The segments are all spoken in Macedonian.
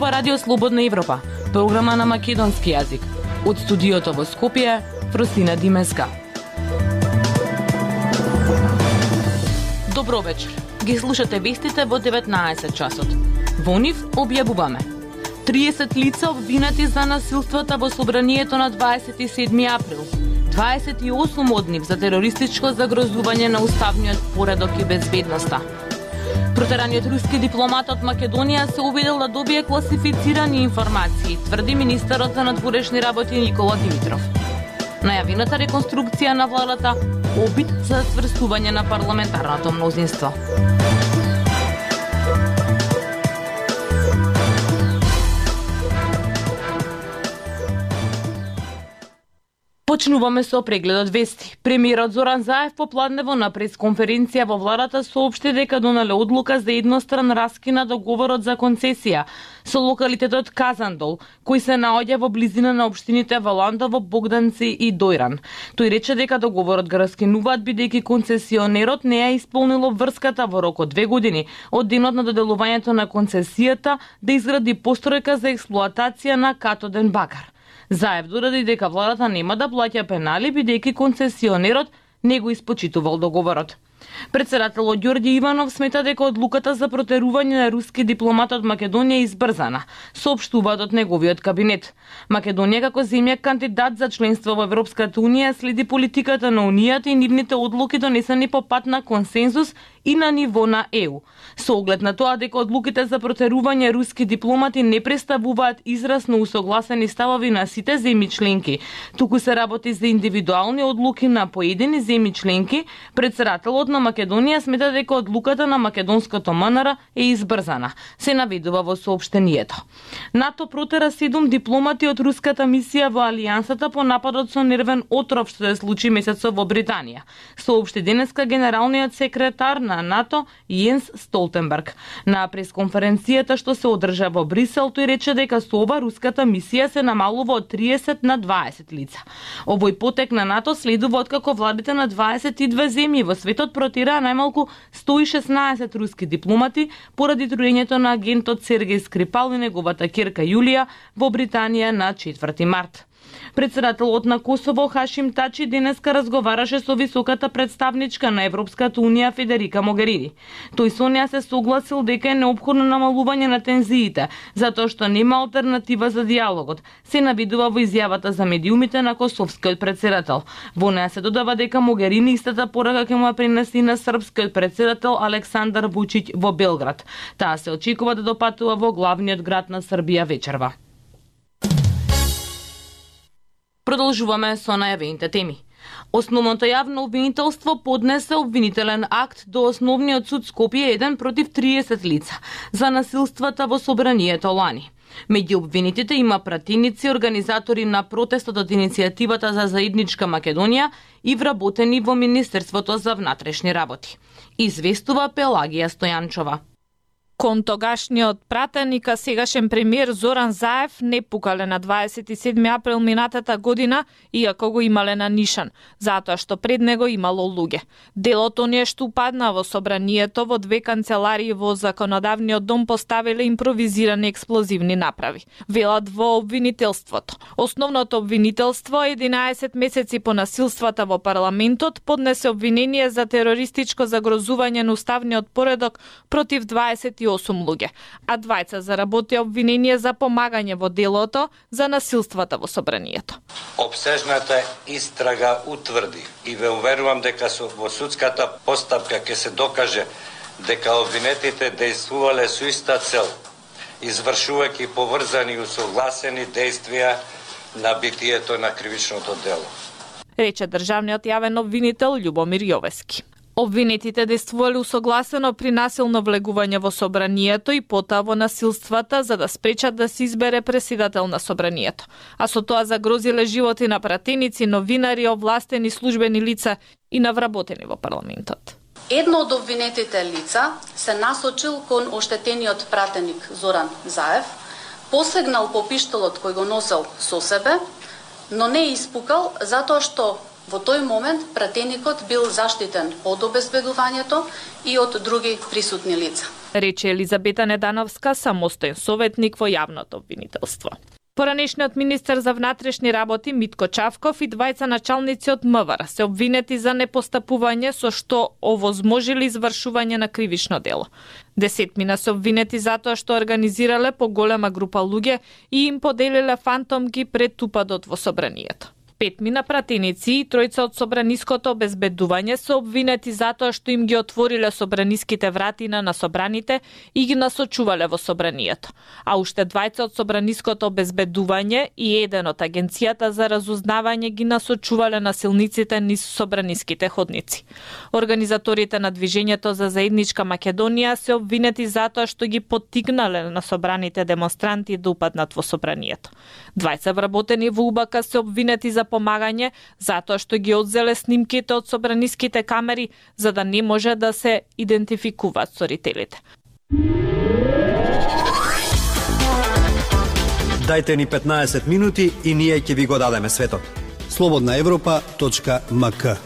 ова Радио Слободна Европа, програма на македонски јазик. Од студиото во Скопје, Фростина Димеска. Добро вечер. Ги слушате вестите во 19 часот. Во нив објавуваме 30 лица обвинати за насилствата во собранието на 27 април. 28 од нив за терористичко загрозување на уставниот поредок и безбедноста. Протераниот руски дипломат од Македонија се увидел да добие класифицирани информации, тврди министерот за надворешни работи Никола Димитров. Најавената реконструкција на владата, обид за стврстување на парламентарното мнозинство. Почнуваме со прегледот вести. Премиерот Зоран Заев попладнево на пресконференција во владата соопшти дека донале одлука за едностран раскина договорот за концесија со локалитетот Казандол, кој се наоѓа во близина на општините Валандово, Богданци и Дојран. Тој рече дека договорот го раскинуваат бидејќи концесионерот не ја исполнило врската во рок од 2 години од денот на доделувањето на концесијата да изгради постројка за експлоатација на катоден бакар. Заев доради дека владата нема да плаќа пенали бидејќи концесионерот не го испочитувал договорот. Председателот Ѓорѓе Иванов смета дека одлуката за протерување на руски дипломат од Македонија е избрзана, соопштуваат од неговиот кабинет. Македонија како земја кандидат за членство во Европската унија следи политиката на унијата и нивните одлуки донесени по пат на консензус и на ниво на ЕУ. Со оглед на тоа дека одлуките за протерување руски дипломати не представуваат израз на усогласени ставови на сите земји членки, туку се работи за индивидуални одлуки на поедини земји членки, председателот на Македонија смета дека одлуката на македонското МНР е избрзана, се наведува во соопштението. НАТО протера 7 дипломати од руската мисија во Алијансата по нападот со нервен отров што се случи месецот во Британија, соопшти денеска генералниот секретар на НАТО Јенс Столтенберг. На пресконференцијата што се одржа во Брисел, тој рече дека со ова руската мисија се намалува од 30 на 20 лица. Овој потек на НАТО следува откако владите на 22 земји во светот протираа најмалку 116 руски дипломати поради труењето на агентот Сергеј Скрипал и неговата ќерка Јулија во Британија на 4 март. Председателот на Косово Хашим Тачи денеска разговараше со високата представничка на Европската унија Федерика Могерини. Тој со неа се согласил дека е неопходно намалување на тензиите, затоа што нема алтернатива за диалогот, се наведува во изјавата за медиумите на косовскиот председател. Во неа се додава дека Могерини истата порака ќе му ја пренеси на српскиот председател Александар Вучиќ во Белград. Таа се очекува да допатува во главниот град на Србија вечерва. Продолжуваме со најавените теми. Основното јавно обвинителство поднесе обвинителен акт до Основниот суд Скопје 1 против 30 лица за насилствата во собранието лани. Меѓу обвинетите има пратеници, организатори на протестот од иницијативата за заедничка Македонија и вработени во Министерството за внатрешни работи. Известува Пелагија Стојанчова. Кон тогашниот пратеник, а сегашен премиер Зоран Заев не пукале на 27 април минатата година, иако го имале на нишан, затоа што пред него имало луѓе. Делот оние што упадна во собранието во 2 канцеларии во Законодавниот дом поставиле импровизирани експлозивни направи. Велат во обвинителството. Основното обвинителство 11 месеци по насилствата во парламентот поднесе обвинение за терористичко загрозување на уставниот поредок против 28 луѓе, а двајца заработија обвинение за помагање во делото за насилствата во собранието. Обсежната истрага утврди и ве уверувам дека во судската постапка ќе се докаже дека обвинетите действувале со иста цел, извршувајќи поврзани и усогласени действија на битието на кривичното дело, рече државниот јавен обвинител Љубомир Јовески. Обвинетите действувале усогласено при насилно влегување во собранието и потоа во насилствата за да спречат да се избере преседател на собранието, а со тоа загрозиле животи на пратеници, новинари, овластени службени лица и на вработени во парламентот. Едно од обвинетите лица се насочил кон оштетениот пратеник Зоран Заев, посегнал по пиштолот кој го носел со себе, но не испукал затоа што во тој момент пратеникот бил заштитен од обезбедувањето и од други присутни лица. рече Елизабета Недановска, самостоен советник во јавното обвинителство. Поранешниот министер за внатрешни работи Митко Чавков и двајца началници од МВР се обвинети за непостапување со што овозможили извршување на кривично дело. 10 се обвинети затоа што организирале поголема група луѓе и им поделиле фантомки пред упадот во собранието. 5 пратеници и 3 од собраниското обезбедување се обвинети затоа што им ги отвориле собраниските вратина на собраните и ги насочувале во собранието. А уште 2 од собраниското обезбедување и 1 од агенцијата за разузнавање ги насочувале насилниците низ собраниските ходници. Организаторите на движењето за заедничка Македонија се обвинети затоа што ги поттикнале на собраните демонстранти да упаднат во собранието. 2 вработени во УБК се обвинети за помагање затоа што ги одзеле снимките од собраниските камери за да не може да се идентификуваат сторителите. Дајте ни 15 минути и ние ќе ви го дадеме светот. slobodnaevropa.mk.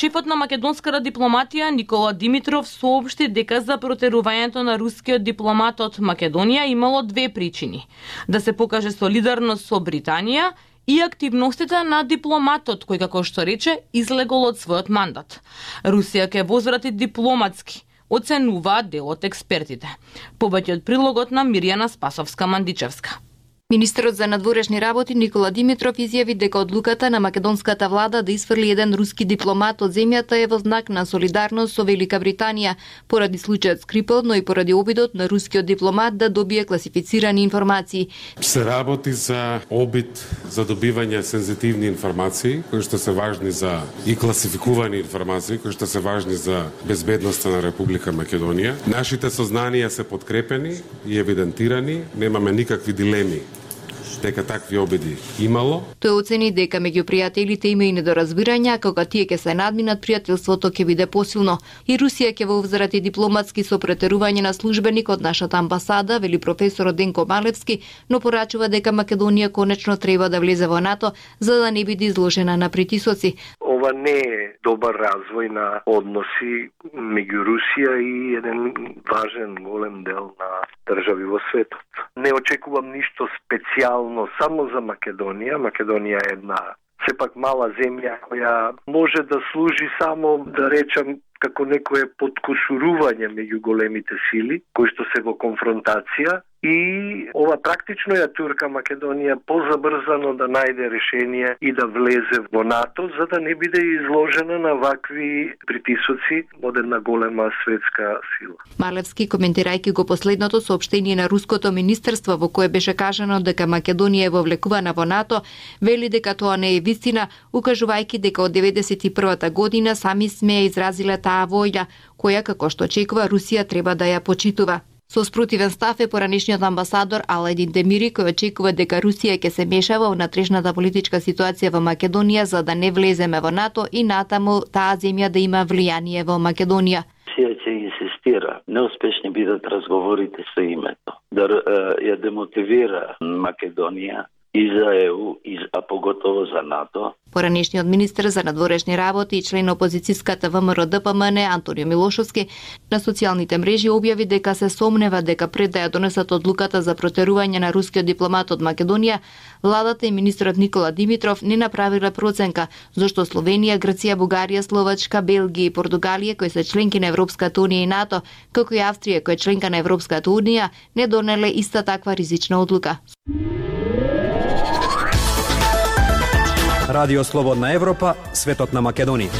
Шефот на македонската дипломатија Никола Димитров соопшти дека за протерувањето на рускиот дипломат од Македонија имало 2 причини: да се покаже солидарност со Британија и активностите на дипломатот кој, како што рече, излегол од својот мандат. Русија ќе возврати дипломатски, оценуваат дел од експертите. Повеќе од прилогот на Мирјана Спасовска-Мандичевска. Министерот за надворешни работи Никола Димитров изјави дека одлуката на македонската влада да исфрли еден руски дипломат од земјата е во знак на солидарност со Велика Британија, поради случајот Скрипал, но и поради обидот на рускиот дипломат да добие класифицирани информации. Се работи за обид за добивање сензитивни информации, кои што се важни за и класификувани информации, кои што се важни за безбедноста на Република Македонија. Нашите сознанија се подкрепени и евидентирани, немаме никакви дилеми дека такви обиди имало. Тој оцени дека меѓу пријателите има и недоразбирања, кога тие ќе се надминат, пријателството ќе биде посилно. И Русија ќе возврати дипломатски со претерување на службеник од нашата амбасада, вели професорот Денко Малевски, но порачува дека Македонија конечно треба да влезе во НАТО за да не биде изложена на притисоци. Ова не е добар развој на односи меѓу Русија и еден важен голем дел на држави во светот. Не очекувам ништо специјално само за Македонија. Македонија е една сепак мала земја која може да служи само, да речам, како некое подкошурување меѓу големите сили, кои што се во конфронтација, и ова практично ја турка Македонија позабрзано да најде решение и да влезе во НАТО, за да не биде изложена на вакви притисоци од една голема светска сила. Малевски, коментирајќи го последното соопштение на Руското министерство во кое беше кажано дека Македонија е вовлекувана во НАТО, вели дека тоа не е вистина, укажувајќи дека од 91-та година сами сме изразиле таа воља, која, како што очекува, Русија треба да ја почитува. Со спротивен став е поранешниот амбасадор Аладин Демири, кој очекува дека Русија ќе се мешава во внатрешната политичка ситуација во Македонија за да не влеземе во НАТО и натаму таа земја да има влијание во Македонија. Русија ќе инсистира, неуспешни бидат разговорите со името, да ја демотивира Македонија и за ЕУ, а поготово за НАТО. Поранешниот министер за надворешни работи и член опозицијската ВМРО ДПМН Антонио Милошовски на социјалните мрежи објави дека се сомнева дека пред да ја донесат одлуката за протерување на рускиот дипломат од Македонија, владата и министерот Никола Димитров не направиле проценка зашто Словенија, Грција, Бугарија, Словачка, Белгија и Португалија, кои се членки на Европската унија и НАТО, како и Австрија, која е членка на Европската унија, не донеле иста таква ризична одлука. Радио Слободна Европа, светот на Македонија.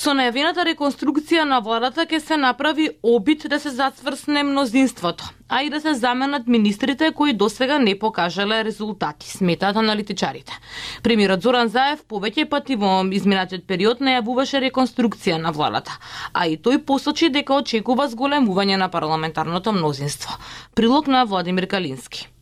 Со најавената реконструкција на владата ќе се направи обид да се зацврсне мнозинството, а и да се заменат министрите кои досега не покажале резултати, сметаат аналитичарите. Премиерот Зоран Заев повеќе пати во изминатиот период најавуваше реконструкција на владата, а и тој посочи дека очекува зголемување на парламентарното мнозинство. Прилог на Владимир Калински.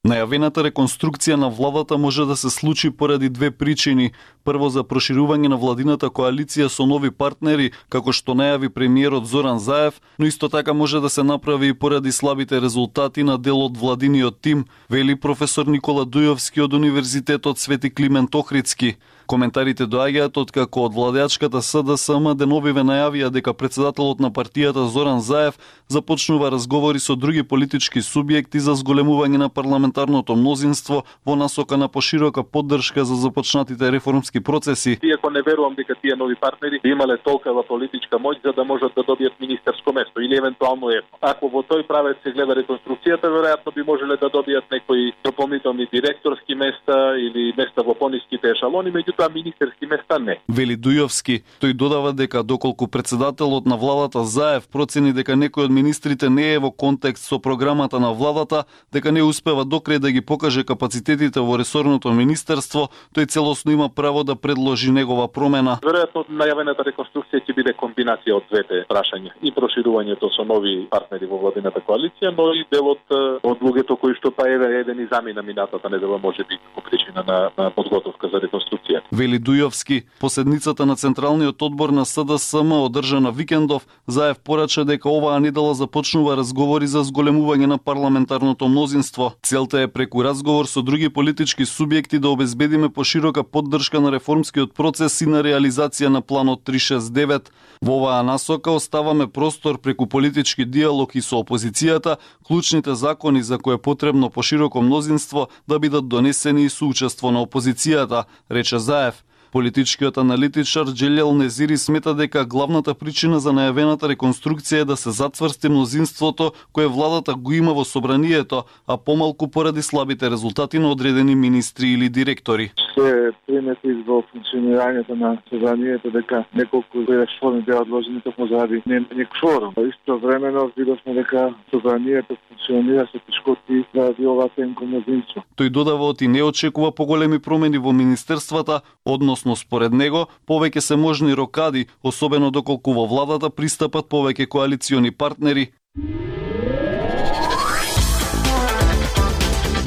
Најавената реконструкција на владата може да се случи поради две причини. Прво, за проширување на владината коалиција со нови партнери, како што најави премиерот Зоран Заев, но исто така може да се направи и поради слабите резултати на дел од владиниот тим, вели професор Никола Дујовски од Универзитетот Свети Климент Охридски. Коментарите доаѓаат откако од владеачката СДСМ деновиве најавија дека председателот на партијата Зоран Заев започнува разговори со други политички субјекти за зголемување на парламентарното мнозинство во насока на поширока поддршка за започнатите реформски процеси. Иако не верувам дека тие нови партнери имале толкова политичка моќ за да можат да добијат министерско место или евентуално едно. Ако во тој правец се гледа реконструкцијата, веројатно би можеле да добијат некои дополнителни директорски места или места во пониските ешалони, меѓутоа министерски места не. Вели Дујовски. Тој додава дека доколку председателот на владата Заев процени дека некој од министрите не е во контекст со програмата на владата, дека не успева докрај да ги покаже капацитетите во ресорното министерство, тој целосно има право да предложи негова промена. Веројатно најавената реконструкција ќе биде комбинација од двете прашања, и проширувањето со нови партнери во владината коалиција, но и делот од луѓето кои што па еден и замина минатата недела можеби по причина на подготовка за реконструкција. Вели Дујовски. По седницата на Централниот одбор на СДСМ одржана викендов, Заев порача дека оваа недела започнува разговори за зголемување на парламентарното мнозинство. Целта е преку разговор со други политички субјекти да обезбедиме поширока поддршка на реформскиот процес и на реализација на планот 369. Во оваа насока оставаме простор преку политички диалог и со опозицијата, клучните закони за кои е потребно пошироко мнозинство да бидат донесени и со учество на опозицијата, рече Заев. Политичкиот аналитичар Џелел Незири смета дека главната причина за најавената реконструкција е да се затврсти мнозинството кое владата го има во собранието, а помалку поради слабите резултати на одредени министри или директори. Се примети во функционирањето на собранието дека неколку реформи беа одложени токму заради немање кворум. Истовремено видовме дека собранието функционира со тешкоти заради ова тенко мнозинство. Тој додава оти не очекува поголеми промени во министерствата, односно според него повеќе се можни рокади, особено доколку во владата пристапат повеќе коалициони партнери.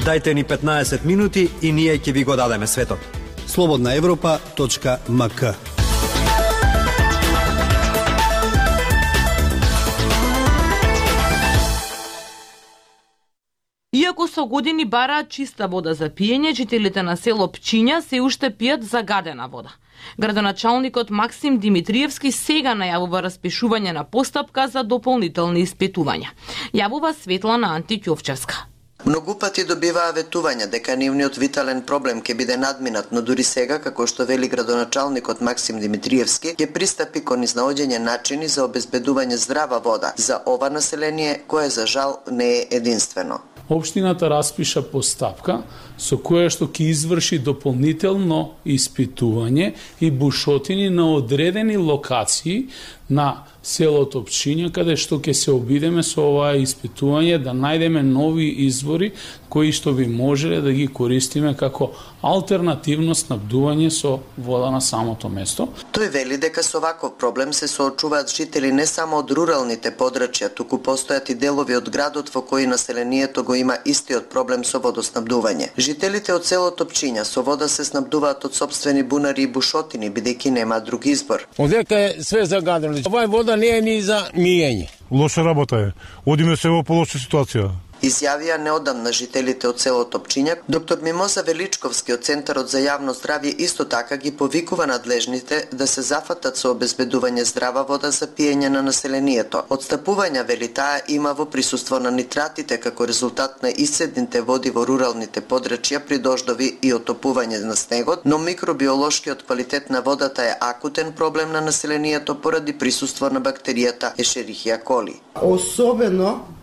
Дајте ни 15 минути и ние ќе ви го дадеме светот. slobodnaevropa.mk. Иако со години бараат чиста вода за пиење, жителите на село Пчиња се уште пијат загадена вода. Градоначалникот Максим Димитриевски сега најавува распишување на постапка за дополнителни испитувања. Јавува Светлана Антиќовчевска. Многу пати добиваа ветувања дека нивниот витален проблем ќе биде надминат, но дури сега, како што вели градоначалникот Максим Димитриевски, ќе пристапи кон изнаоѓање начини за обезбедување здрава вода за ова население, кое за жал не е единствено. Општината распиша постапка со која што ќе изврши дополнително испитување и бушотини на одредени локации на селото Пчиња, каде што ќе се обидеме со оваа испитување да најдеме нови извори кои што би можеле да ги користиме како алтернативно снабдување со вода на самото место. Тој вели дека со ваков проблем се соочуваат жители не само од руралните подрачја, туку постојат и делови од градот во кои населението го има истиот проблем со водоснабдување. Жителите од селото Пчиња со вода се снабдуваат од сопствени бунари и бушотини, бидејќи нема друг избор. Одека е све загадено. Оваа вода не е ни за мијење. Лоша работа е. Одиме се во полоша ситуација. Изјавија неодамна жителите од селото Пчиња. Доктор Мимоза Величковски од Центарот за јавно здравје исто така ги повикува надлежните да се зафатат со обезбедување здрава вода за пиење на населението. Отстапувања, вели таа, има во присуство на нитратите како резултат на исцедните води во руралните подрачја при дождови и отопување на снегот, но микробиолошкиот квалитет на водата е акутен проблем на населението поради присуство на бактеријата Ешерихија коли. Особено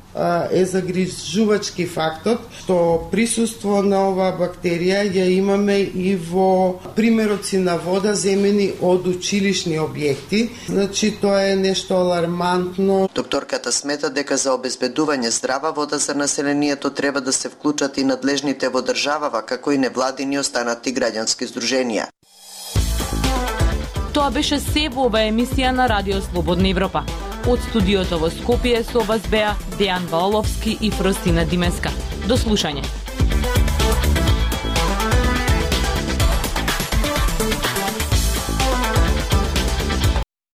е загрижувачки фактот што присуство на оваа бактерија ја имаме и во примероци на вода земени од училишни објекти. Значи тоа е нешто алармантно. Докторката смета дека за обезбедување здрава вода за населението треба да се вклучат и надлежните во државава, како и невладини останати граѓански здруженија. Тоа беше се во оваа емисија на Радио Слободна Европа. Од студиото во Скопје со вас беа Дејан Ваоловски и Фростина Димеска. До слушање.